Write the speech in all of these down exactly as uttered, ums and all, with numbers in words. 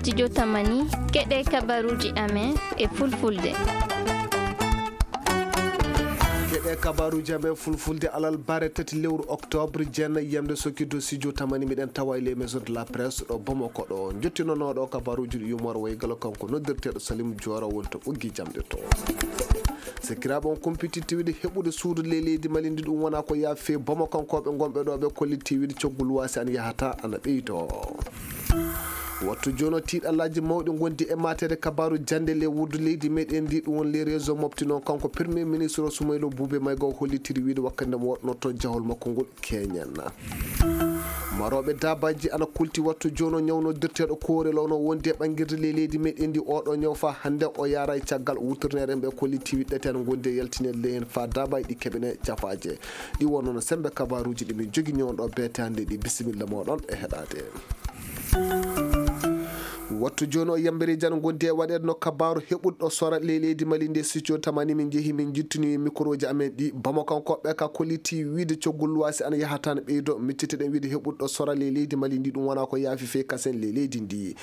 Studio Tamani, keɗe kabaruuji amen e fulfulde. Keɗe kabaruuji amen fulfulde alarba tati lewru oktoobre, jeenayi yamde sokki dow studio Tamani, miɗen tawa e les maisons de la presse ɗo Bamako ɗo. Njottinonooɗo kabaruuji ɗi Yumar Waygalo, kanko noddirteeɗo Salim Joora, woni to ɓoggi jamɗe to. Sakiraaɓe, on kumpititti wiide heɓude suudu ley leydi Mali ndi, ɗum wonaa ko yaafi fey Bamakankooɓe ngonɓe ɗo, ɓe kollitii wiide coggu luwaasi an yahata ana ɓeydoo. Wattu jooni o, tiiɗallaaji mawɗi ngondi e mateede kabaaru jannde ley wuddu leydi meɗen ndi, ɗum woni les réseaux mofti noon. Kanko Premier Ministre o, Soumaïla Boubèye Maïga, o hollitiri wiide wakkati nde mo waɗnotoo jahol makko ngol keñen. Marooɓe daabaaji ana kulti wattu jooni o, ñaw noddirteeɗo koorel o no wondi e ɓanngirde ley leydi meɗen ndi. Oɗo ñaw faa hannde o yaara e caggal wuturnere, ɓe kollitii wiɗɗete ana ngondi e yaltineede ley heen faa daabaaji ɗi keɓene cafaaje. Ɗi wonno no semmbe kabaaruuji ɗi min jogi ñoon ɗo beete hannde ɗi. Bisimilla mooɗon e heɗaade. Wattu jooni o, yambereeji ana ngondi e waɗeede no kabaaru heɓuɗo sora ley leydi Mali nde. Studio Tamani min njehi, min njittini mikorooji amen ɗi. Bamakankooɓe ka kollitii wiide coggu luwaasi ana yahata ana ɓeydoo. Micciteɗen wiide heɓuɗo sora ley leydi Mali ndi, ɗum wonaa ko yaafi fey kasen ley leydi ndi.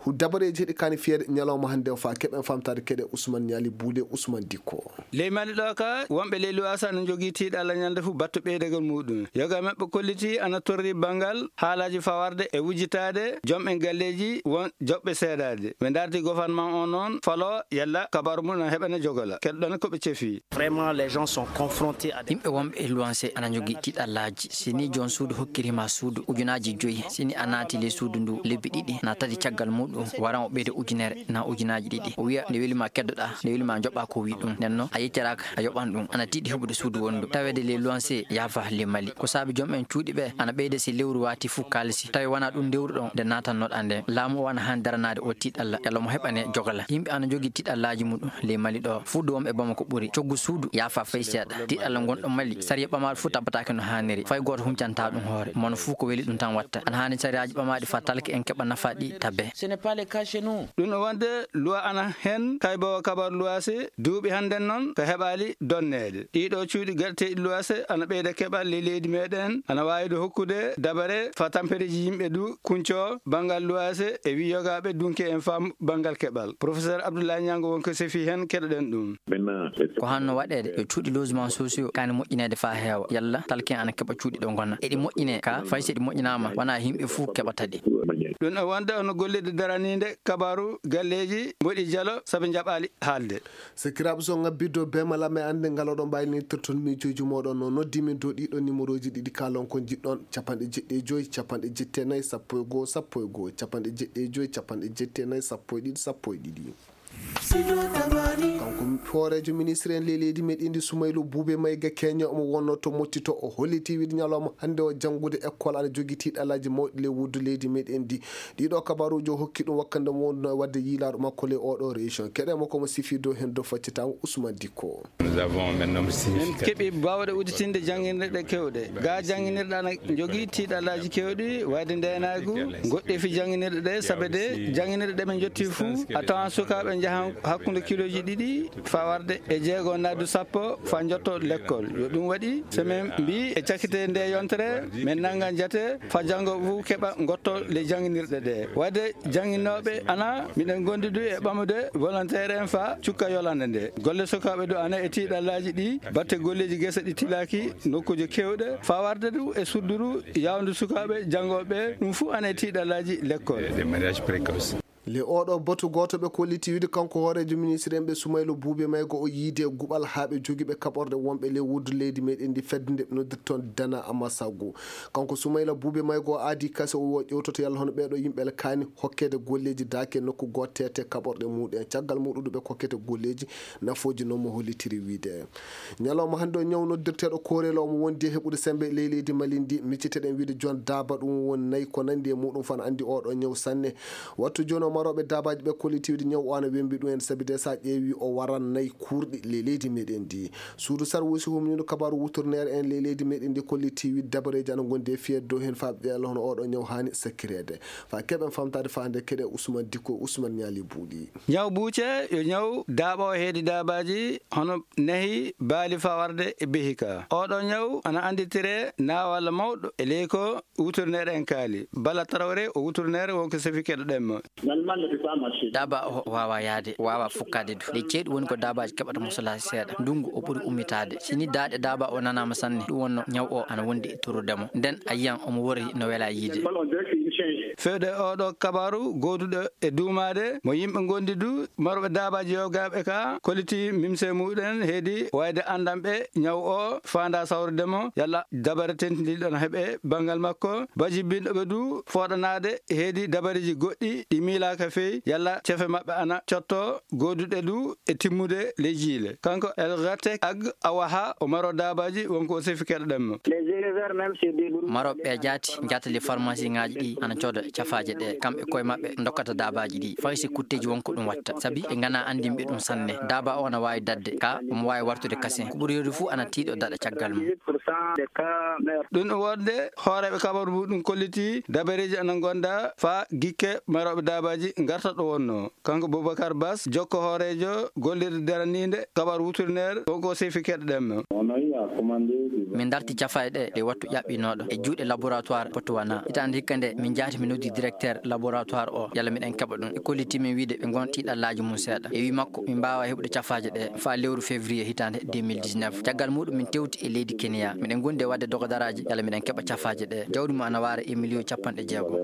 Hu-, dabareeji heɗi kaani fiyeede ñalawma hannde o faa keɓen famtaade keɗe Ousmane Ñaali Buude, Ousmane Dikko. Ley Mali ɗoo ka, wonɓe ley luwaasi ana njogii tiiɗalla ñande fuu battu ɓeydagol muuɗum. Yoga maɓɓe kollitii ana torri banngal haalaaji fawarde e wujjitaade jom'en galleeji won joɓɓe seedaade. Ɓe ndaardi gofarnman on noon faloo yalla kabaaru mum ana heɓane jogola. Keɗoɗon ko ɓe cefii. Vraiment, les gens sont confrontés à des... Yimɓe wonɓe e luwanse ana njogii tiiɗallaaji. Si ni joom suudu hokkiri ma suudu ujunaaji joyi, si ni a naati ley suudu ndu lebbi ɗiɗi, na tati caggal muuɗum, waran o ɓeyda ujunere na ujunaaji ɗiɗi. O wiya nde weli ma keddoɗaa, nde weli ma njoɓaa ko wii ɗum. Nden non, a yettiraaka, a yoɓan ɗum. Ana tiiɗi heɓude suudu wonndu. Taweede ley luwanse yaafa ley Mali. Ko saabi joom en cuuɗi ɓe ana ɓeyda si lewru waati fuu kaalisi. Tawi wanaa ɗum ndewruɗon nde naatannoɗaa nden. Laamu o ana haani daranaade o tiiɗalla, yalla mo heɓane jogala. Yimɓe ana njogii tiiɗallaaji muɗum ley Mali ɗo. Fuu ɗo wonɓe Bamako ɓuri. Coggu suudu yaafa fay seeɗa. Tiiɗalla ngonɗo Mali, sariya ɓamaaɗo fuu tabbataaki no haaniri. Fay gooto huncantaa ɗum hoore. Mono fuu ko weli ɗum tan watta. Ana haani sariyaaji ɓamaaɗi faa talke en keɓa nafaa ɗi tabe. Ce n'est pas le cas chez nous. Ɗum no wonde luwa ana hen kayboowo kabaaru luwaasi duuɓi hannden non ko heɓaali donneede. Ɗii ɗoo cuuɗi gaɗeteeɗi luwaase ana ɓeyda keɓal ley leydi meɗen, ana waawi ɗo hokkude dabare faa tampereeji yimɓe du kuncoo banngal luwaase e wiyogaaɓe dunke en faa banngal keɓal. Professeur Abdoulaye Niango won ko sefii hen, keɗoɗen ɗum. Ko hanno waɗeede yo cuuɗi logement sociaux kaani moƴƴineede faa heewa, yalla talke en ana keɓa cuuɗi ɗo ngona. Eɗi moƴƴinee ka fay si ɗi moƴƴinaama, wanaa yimɓe fuu keɓata ɗi. Ɗum e wonde hono gollirde daraniinde kabaaru galleeji mboɗi jalo sabi njaɓaali haalde. Sakiraaɓe, so ŋabbii dow beemal am e annde ngal oɗon mbaawi nittirton miijooji mooɗon, no noddii min dow ɗii ɗoo nimerooji ɗiɗi, kaalon ko njiɗɗon, capanɗe jeɗɗi e joy, capanɗe jeɗɗi e nayi, sappo e goo, sappo e goo, capanɗe jeɗɗi e joy, capanɗe jeɗɗi e nayi, sappo e ɗiɗi, sappo e ɗiɗi. Kanko hooreejo ministre en ley leydi meɗen ndi, Sumaylu Buube Mayga Keña, omo wonnoo to Motti to, o hollitii wiide ñalawma hannde o janngude ekkol ana jogii tiiɗalaaji mawɗi ley wuddu leydi meɗen ndi. Ɗii ɗoo kabaaruuji o hokki ɗum wakkati nde mo wonduno e waɗde yiilaaru makko ley oo ɗoo région. Keɗen mo ko mo sifii dow heen dow faccitaango Ousmane Dikko. Nous avons maintenant... Min keɓii baawɗe udditinde jannginirɗe keewɗe. Gaa jannginirɗe ana njogii tiiɗalaaji keewɗi, wayde ndeenaagu, ngoɗɗeefi jannginirɗe ɗee, sabe de jannginirɗe ɗe min njottii fuu, a tawan sukaaɓe njahan hakkunde kilooji ɗiɗi faa warde e jeego naadu sappo faa njotto lekkol. Yo ɗum waɗi, so min mbii e cakkite ndee yontere, min nanngan jate faa janngo fuu keɓa ngotto ley jannginirɗe ɗee. Waɗde jannginooɓe ana, miɗen ngondi du e ɓamude volontaire en faa cukka yolande ndee. Golle sukaaɓe du ana e tiiɗalaaji ɗi, batte golleeji gese ɗi tilaaki nokkuuje keewɗe, faa warde du e sudduru yawndu sukaaɓe janngooɓe ɓee, ɗum fuu ana e tiiɗalaaji lekkol. Des mariages précoces. Le oo ɗoo batu gooto ɓe kollitii wiide kanko hooreejo ministre en ɓe Sumaylo Buube Maygo o yiide guɓal haa ɓe jogiiɓe kaɓorɗe wonɓe ley wuddu leydi meɗen ndi fedde nde ɓe noddirton Dana Amasagu. Kanko Sumayla Buube Maygo o aadii kase o wi o ƴeewtoto yalla hono ɓee ɗoo yimɓe ana kaani hokkeede golleeji daake nokku gooto teete kaɓorɗe muuɗum en. Caggal muuɗum du ɓe kokkete golleeji nafooji non mo hollitiri wiide. Ñalawma hannde o ñaw noddirteeɗo koorel o mo wondi e heɓude semmbe ley leydi Mali ndi, micciteɗen wiide jon daaba ɗum woni nayi ko nanndi e muuɗum faa no anndi oo ɗoo ñaw sanne. Wattu jooni o marooɓe daabaaji ɓe kollitii wiide ñaw o ana wemmbi ɗum en sabi de so a ƴeewii o waran nayi kuurɗi ley leydi meɗen ndi. Suudu sarwuusi humniiɗo kabaaru wuturneere en ley leydi meɗen ndi kollitii wiide dabareeji ana ngondi e fiyeede dow heen faa ɓe ƴeewa hono oo ɗoo ñaw haani sakkireede. Faa keɓen famtaade faa hannde keɗe Usman Dikko, Usman Ñaali Buuɗi. Ñaw buuce yo ñaw daaɓoowo heedi daabaaji hono nahi, baali faa warde e behi ka. Oo ɗoo ñaw ana annditiree naawal mawɗo e ley ko wuturneere en kaali. Bala Tarawre o wuturneere won ko sefii keɗoɗen mo. Daaba o waawaa yahde, o waawaa fukkaade du. Ley ceeɗu woni ko daabaaji keɓata mosolaaji seeɗa. Ndunngu o ɓuri ummitaade. Si nii daaɗe daaba o nanaama sanne, ɗum wonnoo ñaw o ana wondi e torrude mo. Nden a yiyan omo worri no welaa yiide. Feewde e ooɗoo kabaaru gooduɗo e duumaade mo yimɓe ngondi du, marooɓe daabaaji yogaaɓe ka koliti mimse muɗen heedi wayde anndanɓe ñaw o faandaa sawrude mo, yalla dabare tentindiiɗo no heɓe banngal makko. Bajibinɗo ɓe du fooɗanaade heedi dabareeji goɗɗi ɗi miilaaka fey, yalla cefe maɓɓe ana cotto gooduɗe du e timmude ley jiile. Kanko El Ghatek Ag Awaha o maro daabaaji wonko o sefi keɗoɗen mo. Marooɓe ɓe jaati njahata ley farmasiŋaaji ɗi ana cooda cafaaje ɗe, kamɓe koye maɓɓe ndokkata daabaaji ɗi, fay si kutteeji won ko ɗum watta, sabi ɓe nganaa anndinɓe ɗum sanne. Daaba o ana waawi daɗde, ka omo waawi wartude kasen. Ko ɓuri heewde fuu ana tiiɗo daɗa caggal mum. Ɗum ɗum wonde hooreeɓe kabaru muɗum kolliti dabareeji ana ngonda faa gikke marooɓe daabaaji ngarta ɗo wonnoo. Kanko Boubacar Bass, jokko hooreejo gollirde daraniinde kabaru wuturneere, wonko sefi keɗoɗen mo. Min darti cafaaje ɗe e wattu ƴaɓɓinooɗo e juuɗe laboratoire Botswana. Hitaande hikka nde min njaati, min noddi directeur laboratoire o, yalla miɗen keɓa ɗum. E kolliti min wiide ɓe ngon tiiɗallaaji mum seeɗa. E wii makko, min mbaawaa heɓude cafaaje ɗe faa lewru février hitaande deux mille dix-neuf. Caggal muɗum min tewti e leydi Kenya. Miɗen ngondi e waɗde dogodaraaji yalla miɗen keɓa cafaaje ɗe. Jawdi mum ana waara e miliyon capanɗe jeego.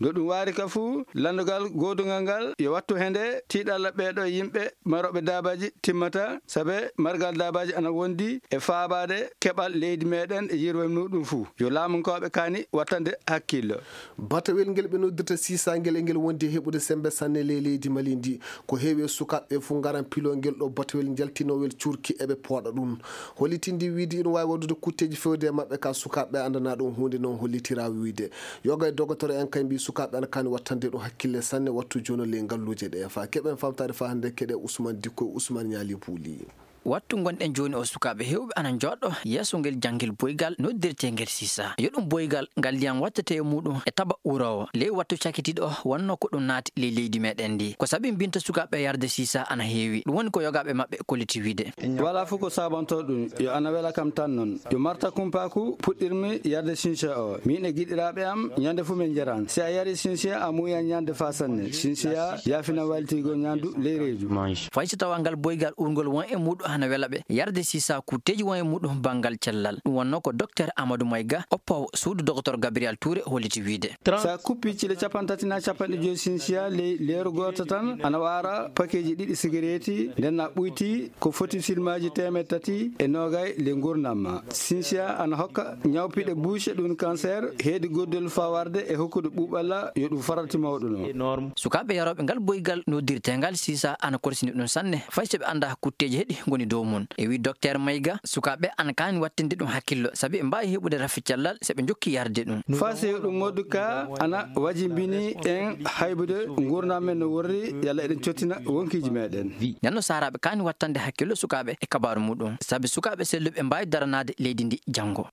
No ɗum waari ka fuu, lanndungal goodungal ngal yo wattu he nde tiiɗalla ɓeeɗo yimɓe marooɓe daabaaji timmata, sabe margal daabaaji ana wondi e faabaade keɓal leydi meɗen e yirwem muɗum fuu. Yo laamunkooɓe kaani wattande hakkillo. Batawel ngel ɓe noddirta sisa ngel, e ngel wondi e heɓude semmbe sanne ley leydi Mali ndi. Ko heewi e sukaaɓe ɓe fuu ngaran piloo ngel ɗoo batawel njaltinoowel cuurki, eɓe pooɗa ɗum. Hollitindii wiide ina waawi waɗude kutteeji feewde e maɓɓe, kaa sukaaɓe ɓe anndanaa ɗum huunde, non hollitiraa wiide. Yoga e dogotoro en kay mbii sukaaɓe ana kaani wattande ɗum hakkille sanne, wattu jooni ley ngalluuje ɗe. Faa keɓen faamtaade faa hannde, keɗee Usman Dikko e Usman Ñaali Puuli. Wattu ngonɗen jooni o, sukaaɓe heewɓe ana njooɗoo yeeso ngel janngel boygal noddirteengel sisa. Yo ɗum boygal ngal ndiyam wattete e muɗum e taba uroowo. Ley wattu cakitiiɗo wonnoo ko ɗum naati ley leydi meɗen ndi. Ko sabi mbinta sukaaɓe yarde sisa ana heewi. Ɗum woni ko yogaaɓe maɓɓe kolliti wiide. Walaa fof ko saabantoo ɗum, yo ana wela kam tan non. Yo marta kumpaaku puɗɗirmi yarde sinsiya o. Miin e giɗiraaɓe am, ñande fof min njaran. Si a yarii sinsiya, a muuyan ñande faa sanne. Sinsiya yaafina waylitigol ñaandu ley reedu. Fay so tawaa ngal boygal urngol won e muɗum hana wela ɓe, yarde sisa kutteeji won e muɗum banngal cellal. Ɗum wonnoo ko Dokteer Amadou Mayga, oppoowo suudu Doktor Gabriel Touré, holliti wiide. Sa kuppii cile cappanɗe tati naa cappanɗe joy sinsiya ley leeru gooto tan, ana waara pakeeji ɗiɗi sigareeti, nden a ɓuytii ko foti silmaaji teemeɗɗe tati e noogay ley nguurndam maa. Sinsiya ana hokka ñawpiɗe buuce, ɗum kanseer, heedi goddol faa warde e hokkude ɓuuɓalla yo ɗum farati mawɗo non. Sukaaɓe yarooɓe ngal boygal noddirteengal sisa ana korsini ɗum sanne, fay so ɓe anndaa kutteeji heɗi ngoni dow mum. E wii Dokteer Mayga, sukaaɓe ana kaani wattinde ɗum hakkillo, sabi ɓe mbaawi heɓude rafi cellal so ɓe njokkii yarde ɗum. Faa so ɗum modu ka ana wajimbini en haybude nguurndam men no worri, yalla eɗen cottina wonkiiji meɗen. Nden no saaraaɓe kaani wattande hakkillo sukaaɓe e kabaaru muɗum, sabi sukaaɓe selluɓe mbaawi daranaade leydi ndi janngo.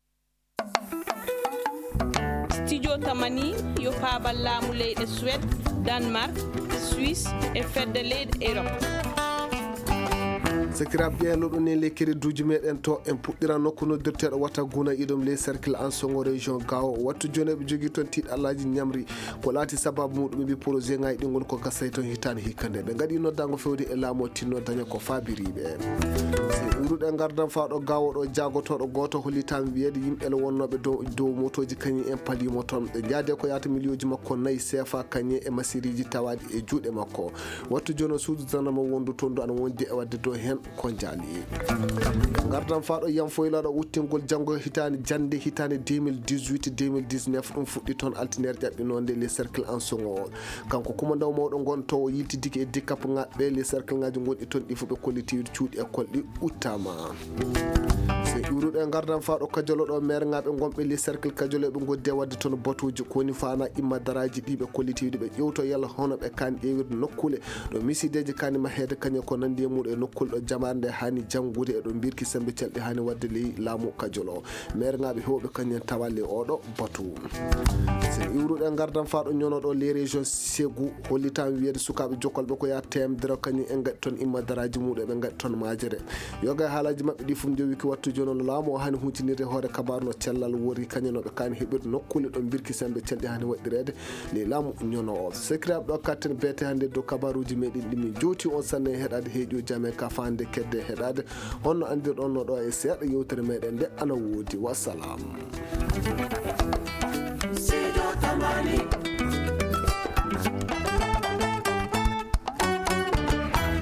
Studio Tamani yo paabal laamu leyɗe Suwed, Danemark, Suisse e fedde leyɗe Erop. Sakiraaɓe ɓiyen loɗo nen ley kereduuji meɗen to, en puɗɗiran nokku noddirteeɗo wata Guna Idom ley cercle Ansongo région Gao. Wattu jooni eɓe jogii toon tiiɗallaaji ñamri. Ko laati sabaabu muɗum, ɓe mbii projet ŋaaji ɗi ngoni ko gasay toon hitaande hikka nde. Ɓe ngaɗi noddaango fewde e laamu o tinno daña ko faabiriiɓe. So iwruɗen ngardan faa ɗo Gao ɗo, jaagotooɗo gooto hollitaama wiyeede yimɓe le wonnooɓe dow, dow motooji kañum en paliimo toon. Ɓe njaade ko yaata miliyooji makko nayi seefa kañum e masiriiji tawaaɗi e juuɗe makko. Wattu jooni o suudu zandarma wondu toon du ana wondi e waɗde dow heen ko njaali. Ngardan faa ɗo yam foylaaɗo uttingol janngo hitaande, jannde hitaande deux mille dix-huit deux mille dix-neuf, ɗum fuɗɗi toon altineere ƴaɓɓinoonde le cercle Ansongo o. Kanko kumandaw mawɗo ngon to o yiltidike e dikapŋaaɓe le cercle ŋaaji ngonɗi toon ɗi fof ɓe kolliti cuuɗi école ɗi uttaama. So iwruɗo e ngardan faa ɗo Kajolo ɗo, maire ŋaaɓe ngonɓe le cercle Kajolo ɓe ngoddi e waɗde toon batuuji ko woni faana imma daraaji ɗi ɓe kolliti ɓe ƴewto yalla hono ɓe kaani ƴeewirde nokkuule ɗo misiideeji kaani maheede kañum ko nanndi e muɗum e nokkuule ɗo jamaare nde haani janngude e ɗo mbirki semmbe celɗi haani waɗde ley laamu Kajolo. Maire ŋaaɓe heewɓe kañum en tawa ley oɗo batu. So iwruɗen ngardan faa ɗo ñono ɗo les régions Ségou, hollitaama wiyeede sukaaɓe jokkolɓe ko yaa teemedere kañum en ngaɗi toon imma daraaji muɗum ɓe ngaɗi toon maajere. Yoga e haalaaji maɓɓe ɗi fof njowiki wattu jooni o laamu O haani huutinirde hoore kabaaru no cellal wori kañum no ɓe kaani heɓirde nokkuule ɗo mbirki sembe celɗi haani waɗɗireede ley laamu ñono o. Sekiraaɓe, ɗo katten beete hannde dow kabaaruuji meɗen ɗi min jowti on sanne e heɗaade heeƴo jame ka faande kedde heɗaade. Honno anndirɗon no ɗo e seeɗa yewtere meɗen nde ana woodi. Wassalam.